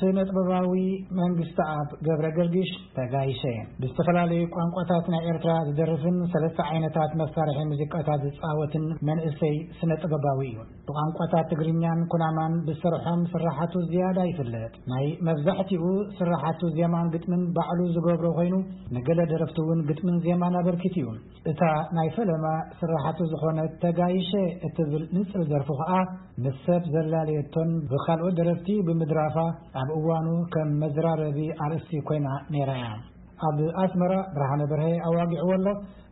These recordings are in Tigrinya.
ስነ ጥበባዊ መንግስቲ ኣብ ገብረ ገርግሽ ተጋይሸ ብዝተፈላለዩ ቋንቋታት ናይ ኤርትራ ዝደርፍን ሰለስተ ዓይነታት መሳርሒ ሙዚቃታት ዝጻወትን መንእሰይ ስነ ጥበባዊ እዩ። ብቋንቋታት ትግርኛን ኩናማን ብሰርሖም ስራሓቱ ዝያዳ ይፍለጥ። ናይ መብዛሕትኡ ስራሓቱ ዜማን ግጥምን ባዕሉ ዝገብሮ ኮይኑ፣ ንገለ ደረፍቲ እውን ግጥምን ዜማን ኣበርኪት እዩ። እታ ናይ ፈለማ ስራሓቱ ዝኾነት ተጋይሸ እትብል ንጽል ደርፉ ኸኣ ምስ ሰብ ዘላለየቶን ብኻልኦት ደረፍቲ ብምድራፋ ኣብ እዋኑ ከም መዝራረቢ ኣርእስቲ ኮይና ነይራ እያ። ኣብ ኣስመራ ብርሃነ በርሀ ኣዋጊዕዎ ኣሎ።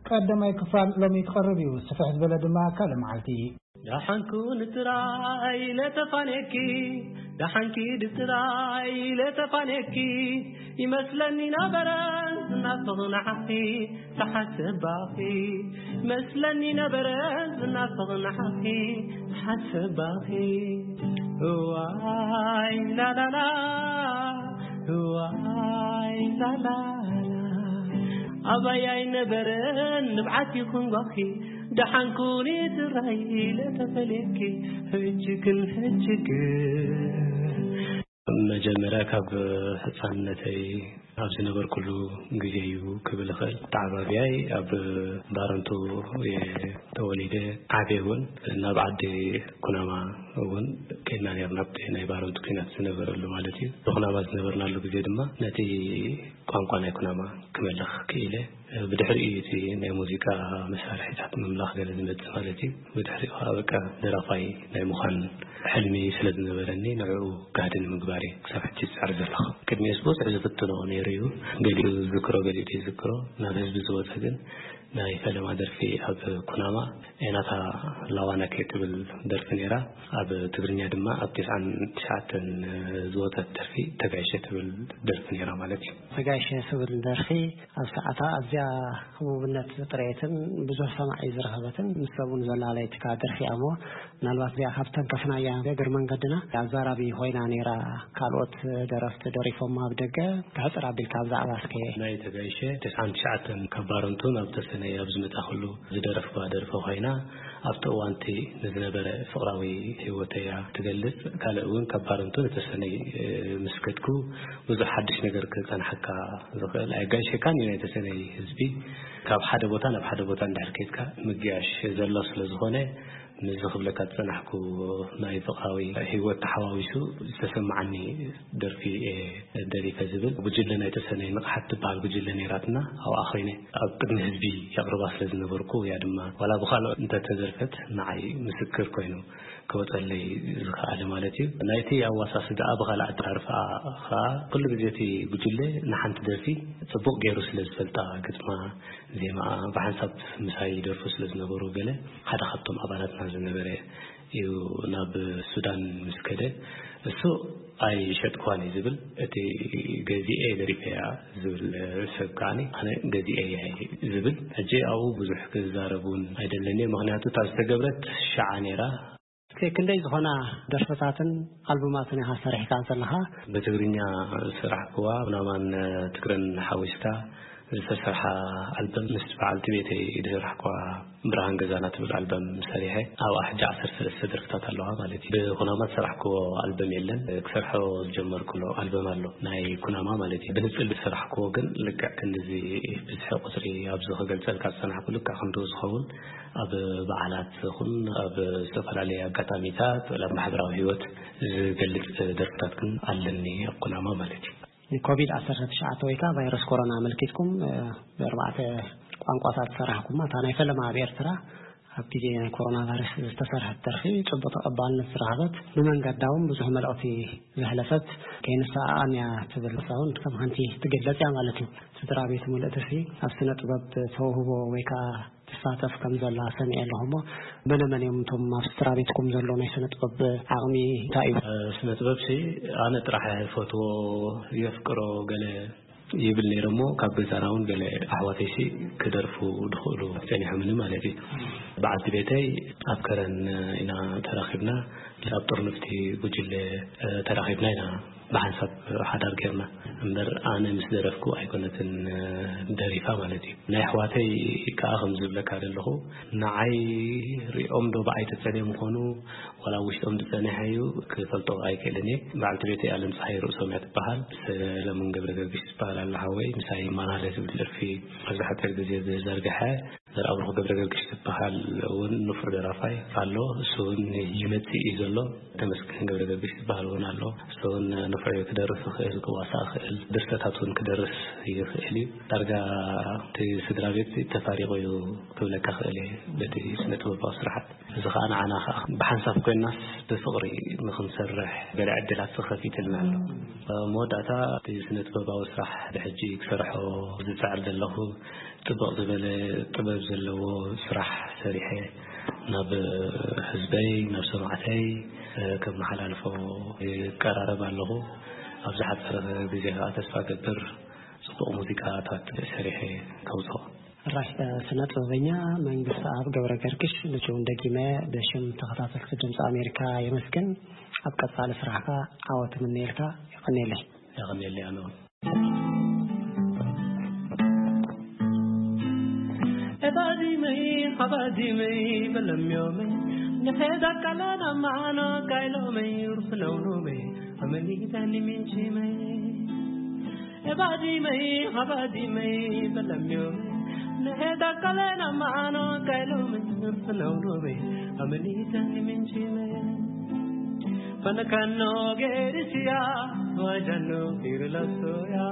ቀዳማይ ክፋል ሎሚ ክቐርብ እዩ። ስፍሕ ዝበለ ድማ ካልእ መዓልቲ። ደሓንኩ ንጥራይ ኢለ ተፋንየኪ፣ ደሓንኪ ድጥራይ ኢለ ተፋንየኪ፣ ይመስለኒ ነበረ ዝናፍቕ ንዓኺ፣ ዝሓስባኺ። ይመስለኒ ነበረ ዝናፍቕ ንዓኺ፣ ዝሓስባኺ። እዋይ ላላላ፣ እዋይ ላላላ፣ ኣባይ ኣይነበረን ንብዓት ይኹን ጓኺ፣ ደሓንኩኒ ትራይ ኢለ ተፈልየኪ፣ ሕጂ ግን፣ ሕጂ ግን። መጀመርያ ካብ ህፃንነተይ ኣብ ዝነበርኩሉ ግዜ እዩ ክብል እኽእል። ተዓባብያይ ኣብ ባረንቱ እየ ተወሊደ ዓብየ እውን ናብ ዓዲ ኩናማ እውን ከይድና ነርና፣ ኣብቲ ናይ ባረንቱ ኲናት ዝነበረሉ ማለት እዩ። ብኩናማ ዝነበርናሉ ግዜ ድማ ነቲ ቋንቋ ናይ ኩናማ ክመልኽ ክኢለ። ብድሕሪኡ እቲ ናይ ሙዚቃ መሳርሒታት ምምላኽ ገለ ዝመጽእ ማለት እዩ። ብድሕሪኡ ከዓ በቃ ደራፋይ ናይ ምዃን ሕልሚ ስለ ዝነበረኒ ንዕኡ ጋህዲ ንምግባር እየ ክሳብ ሕጂ ዝጽዕር ዘለኹ። ቅድሚኡስ ብዙሕ ዝፍትኖ ነይሩ እዩ። ገሊኡ ዝዝክሮ፣ ገሊኡ ዘይዝክሮ፣ ናብ ህዝቢ ዝወጸ ግን ናይ ፈለማ ደርፊ ኣብ ኩናማ ኤናታ ላዋናኬ ትብል ደርፊ ነይራ። ኣብ ትግርኛ ድማ ኣብ ተስዓን ትሽዓተን ዝወጸት ደርፊ ተጋይሸ ትብል ደርፊ ነይራ ማለት እዩ። ተጋይሸ ትብል ደርፊ ኣብ ሰዓታ ኣዝያ ህቡብነት ጥሬትን ብዙሕ ሰማዒ ዝረኸበትን ምስ ሰቡን ዘላለየትካ ደርፊ እያ እሞ፣ ምናልባት እዚኣ ካብ ተንከፍናያ እግር መንገድና ኣዛራቢ ኮይና ነይራ። ካልኦት ደረፍቲ ደሪፎማ ኣብ ደገ፣ ክሕጽር ኣቢልካ ብዛዕባ እስከ። ናይ ተጋይሸ ተስዓን ትሽዓተን ካብ ባረንቱ ናብ ተሰነይ ኣብ ዝመጻኹሉ ዝደረፍኳ ደርፊ ኮይና፣ ኣብቲ እዋንቲ ንዝነበረ ፍቕራዊ ህይወተይ እያ ትገልጽ። ካልእ እውን ካብ ባረንቱ ንተሰነይ፣ እ፣ ምስ ከድኩ ብዙሕ ሓድሽ ነገር ክጸንሓካ ዝኽእል ኣየጋይሸካን እዩ። ናይ ተሰነይ ህዝቢ ካብ ሓደ ቦታ ናብ ሓደ ቦታ እንድሕር ከድካ ምግያሽ ዘሎ ስለ ዝኾነ፣ ምስዚ ክብለካ ዝጸናሕኩ ናይ ፍቕራዊ ህይወት ተሓዋዊሱ ዝተሰማዓኒ ደርፊ እየ ደሪፈ ዝብል። ጉጅለ ናይ ተሰነይ ንቕሓት ትበሃል ጉጅለ ነይራትና፣ ኣብኣ ኮይነ ኣብ ቅድሚ ህዝቢ የቕርባ ስለ ዝነበርኩ፣ እያ ድማ ዋላ ብኻልኦት እንተተደርፈት ንዓይ ምስክር ኮይኑ ክወጸለይ ዝኸኣለ ማለት እዩ። ናይቲ ኣዋሳስዳኣ ብኻልእ ኣደራርፋ ኸኣ ኩሉ ግዜ እቲ ጉጅለ ንሓንቲ ደርፊ ጽቡቕ ገይሩ ስለ ዝፈልጣ፣ ግጥማ፣ ዜማኣ ብሓንሳብ ምሳይ ይደርፉ ስለ ዝነበሩ፣ ገለ ሓደ ካብቶም ኣባላትና ዝነበረ እዩ ናብ ሱዳን ምስ ከደ፣ እሱ ኣይሸጥኳን እዩ ዝብል፣ እቲ ገዚኤ ደሪፈያ ዝብል ሰብ ከዓኒ ኣነ ገዚኤ እየ ዝብል። ሕጂ ኣብኡ ብዙሕ ክዛረብ እውን ኣይደለኒ፣ ምኽንያቱ እታ ዝተገብረት ሸዓ ነይራ። እስከ ክንደይ ዝኾና ደርፍታትን ኣልቡማትን ኢኻ ሰሪሕካ ዘለኻ? ብትግርኛ ዝሰራሕክዋ ናማን ትግረን ሓዊስካ ዝተሰርሓ ኣልበም ምስ በዓልቲ ቤተይ ዝሰራሕክዋ ብርሃን ገዛና ትብል ኣልበም ሰሪሐ፣ ኣብኣ ሕጂ ዓሰርተ ሰለስተ ደርፍታት ኣለዋ ማለት እዩ። ብኩናማ ዝሰራሕክዎ ኣልበም የለን። ክሰርሖ ዝጀመርኩሎ ኣልበም ኣሎ፣ ናይ ኩናማ ማለት እዩ። ብንጽል ዝሰራሕክዎ ግን ልክዕ ክንድዚ ብዝሒ ቁጽሪ ኣብዚ ክገልጸልካ ዝጸናሕኩ ልክዕ ክንድኡ ዝኸውን ኣብ በዓላት ይኹን ኣብ ዝተፈላለዩ ኣጋጣሚታት፣ ኣብ ማሕበራዊ ህይወት ዝገልጽ ደርፍታት ግን ኣለኒ ኣብ ኩናማ ማለት እዩ። ኮቪድ ዓሰርተ ትሽዓተ ወይ ከዓ ቫይረስ ኮሮና ኣመልኪትኩም፣ እ፣ ብኣርባዕተ ቋንቋታት ዝሰራሕኩማ፣ እታ ናይ ፈለማ ኣብ ኤርትራ ኣብ ግዜ ናይ ኮሮና ቫይረስ ዝተሰርሐት ደርፊ ጽቡቕ ተቐባልነት ዝረኸበት፣ ብመንገዳ እውን ብዙሕ መልእኽቲ ዘሕለፈት፣ ከይንሰኣኣን እያ ትብል እውን ከም ሓንቲ ትግለጽ እያ ማለት እዩ። ስድራ ቤት ምልእትሲ ኣብ ስነ ጥበብ ተውህቦ ወይ ከዓ ትሳተፍ ከም ዘላ ሰሚዐ ኣለኹ እሞ፣ መነ መን እዮም እቶም ኣብ ስድራ ቤትኩም ዘሎ ናይ ስነ ጥበብ ዓቕሚ እንታይ እዩ? ስነ ጥበብ ሲ ኣነ ጥራሕ እፈትዎ፣ የፍቅሮ ገለ ይብል ነይረ እሞ፣ ካብ ገዛና እውን ገለ ኣሕዋተይ ሲ ክደርፉ ድኽእሉ ጸኒሖምኒ ማለት እዩ። በዓልቲ ቤተይ ኣብ ከረን ኢና ተራኺብና፣ ኣብ ጥርንፍቲ ጉጅለ ተራኺብና ኢና ብሓንሳብ ሓዳር ጌርና እምበር ኣነ ምስ ደረፍኩ ኣይኮነትን ደሪፋ ማለት እዩ። ናይ ኣሕዋተይ ከዓ ከም ዝብለካ ዘለኹ ንዓይ ሪኦም ዶ ብዓይ ተጸልዮም ምኾኑ ዋላ ውሽጦም ዝጸኒሐ እዩ ክፈልጦ ኣይክእልን እየ። በዓልቲ ቤተይ ኣለም ፀሓይ ርእሶም እያ ትበሃል። ሰለሙን ገብረ ገርግሽ ትበሃል ኣላ ሓወይ ምሳይ ይመላለስ ዝብል ደርፊ ኣብዚ ሓፂር ግዜ ዝዘርግሐ። ዘርኣብሩኽ ገብረ ገርግሽ ዝበሃል እውን ንፉዕ ደራፋይ ኣሎ። እሱ እውን ይመጽእ እዩ ዘሎ። ተመስገን ገብረ ገርግሽ ዝበሃል እውን ኣሎ። እሱ እውን ንፉዕ እዩ፣ ክደርፍ ይኽእል፣ ክዋሳእ ይኽእል፣ ድርሰታት እውን ክደርስ ይኽእል እዩ። ዳርጋ እቲ ስድራ ቤት ተፋሪቑ እዩ ክብለካ ክእል እየ በቲ ስነ ጥበባዊ ስራሓት። እዚ ከዓ ንዓና ከዓ ብሓንሳብ ኮይናስ ብፍቕሪ ንኽንሰርሕ ገለ ዕድላት ተኸፊትልና ኣሎ። መወዳእታ እቲ ስነ ጥበባዊ ስራሕ ብሕጂ ክሰርሖ ዝፅዕር ዘለኹ ጽቡቕ ዝበለ ጥበብ ዘለዎ ስራሕ ሰሪሐ ናብ ህዝበይ፣ ናብ ሰማዕተይ ከመሓላልፎ ይቀራረብ ኣለኹ። ኣብ ዝሓጸረ ግዜ ከዓ ተስፋ ገብር ጽቡቕ ሙዚቃታት ሰሪሐ ከውጽኦ። ራሕ ስነ ጥበበኛ መንግስቲ ኣብ ገብረ ገርግሽ ንችውን ደጊመ ብሽም ተኸታተልቲ ድምፂ ኣሜሪካ የመስግን። ኣብ ቀጻሊ ስራሕካ ዓወት ምንየልካ። ይቐንየለይ። ይቐንየለይ ኣነ እውን። Ebadimei, habadimei, belemyomei, neheda kalana mano kailomei, urfnaunomei, amenita niminchimei. Ebadimei, habadimei, belemyomei, neheda kalana mano kailomei, urfnaunomei, amenita niminchimei. Panakano gerisia, wajano kirlasoya.